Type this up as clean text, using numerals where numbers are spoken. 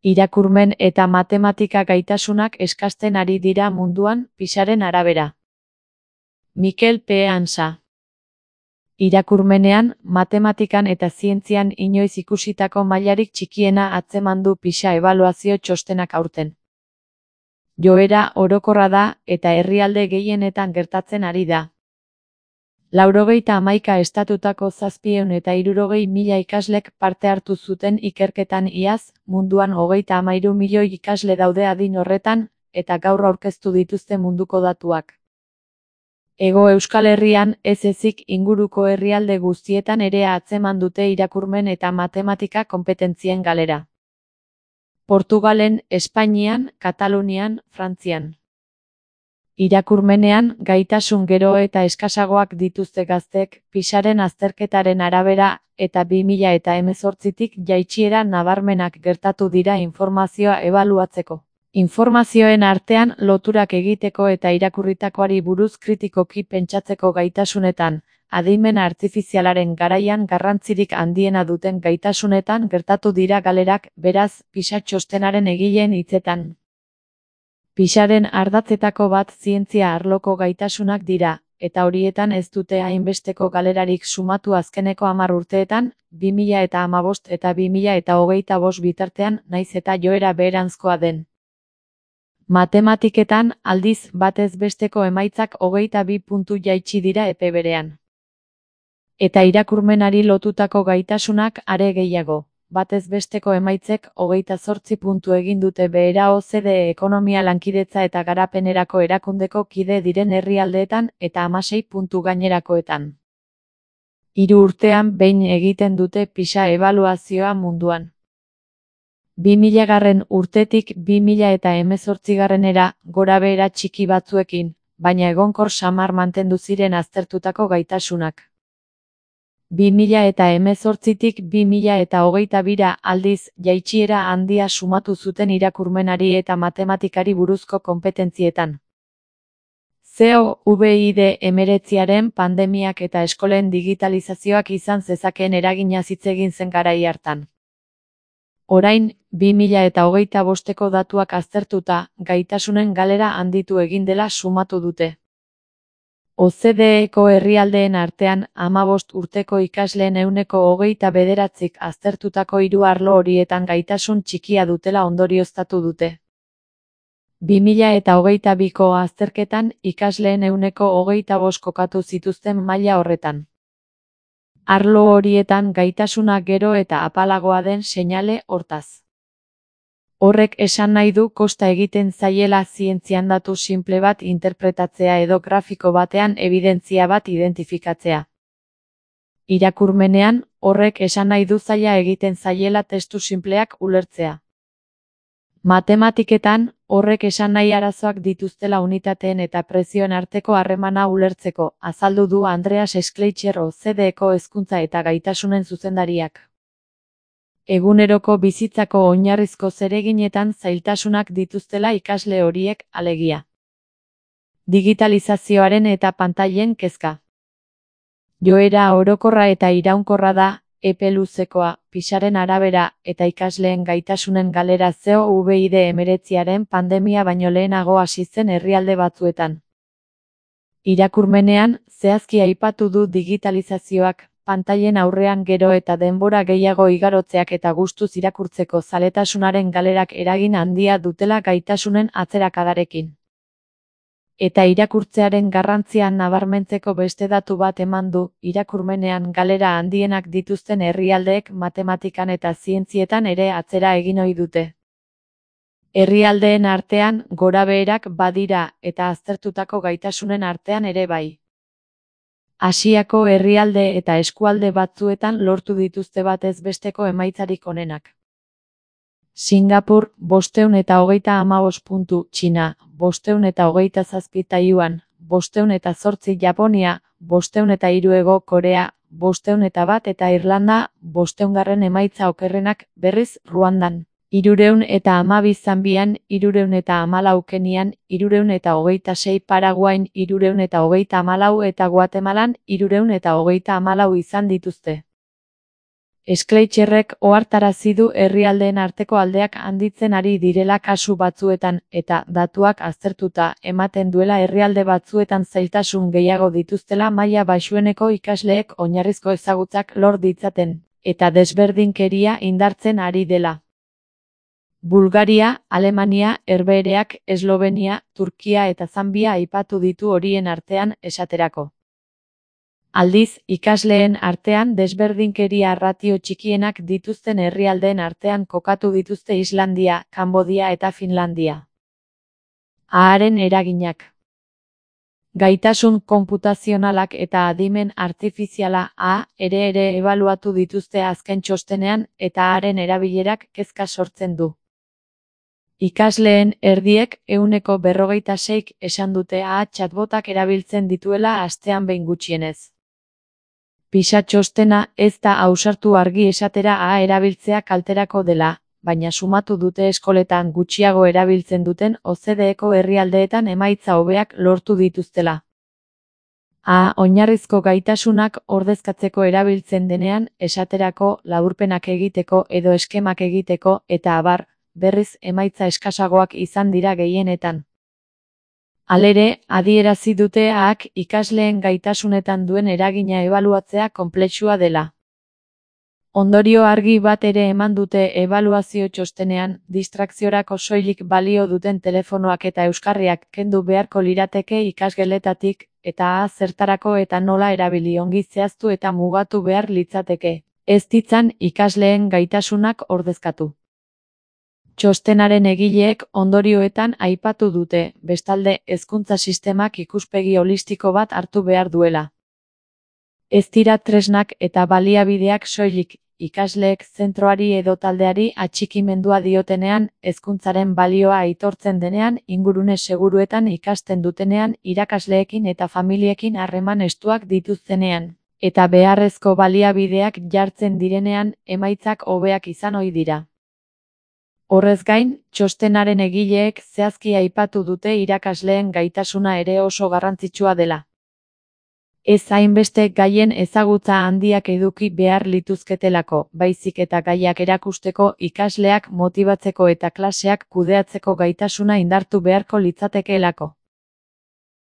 Irakurmen eta matematika gaitasunak eskasten ari dira munduan, PISAren arabera. Mikel P. Ansa. Irakurmenean, matematikan eta zientzian inoiz ikusitako mailarik txikiena atzeman du PISA ebaluazio txostenak aurten. Joera orokorra da eta herrialde gehienetan gertatzen ari da. 91 estatutako 760.000 ikaslek parte hartu zuten ikerketan iaz, munduan 33 milioi ikasle daude adin horretan, eta gaur aurkeztu dituzte munduko datuak. Hego Euskal Herrian ez ezik inguruko herrialde guztietan ere atzeman dute irakurmen eta matematika konpetentzien galera. Portugalen, Espainian, Katalunian, Frantzian. Irakurmenean, gaitasun gero eta eskasagoak dituzte gaztek, PISAren azterketaren arabera, eta 2018tik jaitsiera nabarmenak gertatu dira informazioa ebaluatzeko. Informazioen artean loturak egiteko eta irakurritakoari buruz kritikoki pentsatzeko gaitasunetan, adimen artifizialaren garaian garrantzirik handiena duten gaitasunetan gertatu dira galerak, beraz, PISA txostenaren egileen hitzetan. PISAren ardatzetako bat zientzia arloko gaitasunak dira, eta horietan ez dute hainbesteko galerarik sumatu azkeneko 10 urteetan, 2015 eta 2025 bitartean, naiz eta joera beheranzkoa den. Matematiketan, aldiz, batez besteko emaitzak 22 puntu jaitsi dira epe berean. Eta irakurmenari lotutako gaitasunak are gehiago. Batez besteko emaitzek 28 puntu egin dute behera OCDE ekonomia lankidetza eta garapenerako erakundeko kide diren herrialdeetan eta 16 puntu gainerakoetan. 3 urtean behin egiten dute PISA ebaluazioa munduan. 2000 urtetik 2018era gorabehera txiki batzuekin, baina egonkor samar mantendu ziren aztertutako gaitasunak. 2018tik 2022ra aldiz, jaitsiera handia sumatu zuten irakurmenari eta matematikari buruzko konpetentzietan. COVID-19 pandemiak eta eskolen digitalizazioak izan zezakeen eragina hitz egin zen garai hartan. Orain, 2025ko datuak aztertuta, gaitasunen galera handitu egin dela sumatu dute. OCDEko herrialdeen artean, 15 urteko ikasleen 29%ik aztertutako 3 arlo horietan gaitasun txikia dutela ondorioztatu dute. 2022ko azterketan, ikasleen 25% kokatu zituzten maila horretan. Arlo horietan gaitasuna gero eta apalagoa den seinale hortaz. Horrek esan nahi du kosta egiten zaiela zientzian datu simple bat interpretatzea edo grafiko batean ebidentzia bat identifikatzea. Irakurmenean, horrek esan nahi du zaila egiten zaiela testu simpleak ulertzea. Matematiketan, horrek esan nahi arazoak dituztela unitateen eta prezioen arteko harremana ulertzeko, azaldu du Andreas Schleicher OCDEko hezkuntza eta gaitasunen zuzendariak. Eguneroko bizitzako oinarrizko zereginetan zailtasunak dituztela ikasle horiek, alegia. Digitalizazioaren eta pantailen kezka. Joera orokorra eta iraunkorra da, epe luzekoa, PISAren arabera, eta ikasleen gaitasunen galera COVID-19 pandemia baino lehenago hasi zen herrialde batzuetan. Irakurmenean, zehazki aipatu du digitalizazioak, pantailen aurrean gero eta denbora gehiago igarotzeak eta gustuz irakurtzeko zaletasunaren galerak eragin handia dutela gaitasunen atzerakadarekin. Eta irakurtzearen garrantzia nabarmentzeko beste datu bat eman du, irakurmenean galera handienak dituzten herrialdeek matematikan eta zientzietan ere atzera egin ohi dute. Herrialdeen artean gorabeherak badira eta aztertutako gaitasunen artean ere bai. Asiako herrialde eta eskualde batzuetan lortu dituzte batez besteko emaitzarik onenak. Singapur, 535 puntu, Txina, 527 Taiwan, 508 Japonia, 503 Hego Korea, 501 eta Irlanda, 500 emaitza okerrenak, berriz, Ruandan. 312 Zambian, 314 Kenian, 326 Paraguain, 334 eta Guatemalan, 334 izan dituzte. Schleicherrek ohartarazi du herrialdeen arteko aldeak handitzen ari direla kasu batzuetan, eta datuak aztertuta ematen duela herrialde batzuetan zailtasun gehiago dituztela maila baxueneko ikasleek oinarrizko ezagutzak lor ditzaten, eta desberdinkeria indartzen ari dela. Bulgaria, Alemania, Herbehereak, Eslovenia, Turkia eta Zanbia aipatu ditu horien artean, esaterako. Aldiz, ikasleen artean desberdinkeria ratio txikienak dituzten herrialdeen artean kokatu dituzte Islandia, Kanbodia eta Finlandia. A-aren eraginak. Gaitasun konputazionalak eta adimen artifiziala A ere ebaluatu dituzte azken txostenean eta A-aren erabilerak kezka sortzen du. Ikasleen erdiek 46%k esan dute A chatbotak erabiltzen dituela astean behin gutxienez. PISA txostena ez da ausartu argi esatera A erabiltzea kalterako dela, baina sumatu dute eskoletan gutxiago erabiltzen duten OCDE-ko herrialdeetan emaitza hobeak lortu dituztela. A oinarrizko gaitasunak ordezkatzeko erabiltzen denean, esaterako laburpenak egiteko edo eskemak egiteko eta abar, berriz emaitza eskasagoak izan dira gehienetan. Halere, adierazi dute A-ak ikasleen gaitasunetan duen eragina ebaluatzea konplexua dela. Ondorio argi bat ere eman dute ebaluazio txostenean, distrakziorako soilik balio duten telefonoak eta euskarriak kendu beharko lirateke ikasgeletatik, eta A zertarako eta nola erabili ongi zehaztu eta mugatu behar litzateke, ez ditzan ikasleen gaitasunak ordezkatu. Txostenaren egileek ondorioetan aipatu dute, bestalde, hezkuntza sistemak ikuspegi holistiko bat hartu behar duela. Ez dira tresnak eta baliabideak soilik, ikasleek zentroari edo taldeari atxikimendua diotenean, hezkuntzaren balioa aitortzen denean, ingurune seguruetan ikasten dutenean, irakasleekin eta familiekin harreman estuak dituztenean, eta beharrezko baliabideak jartzen direnean, emaitzak hobeak izan ohi dira. Horrez gain, txostenaren egileek zehazki aipatu dute irakasleen gaitasuna ere oso garrantzitsua dela. Ez hainbeste gaien ezagutza handiak eduki behar lituzketelako, baizik eta gaiak erakusteko ikasleak motibatzeko eta klaseak kudeatzeko gaitasuna indartu beharko litzatekeelako.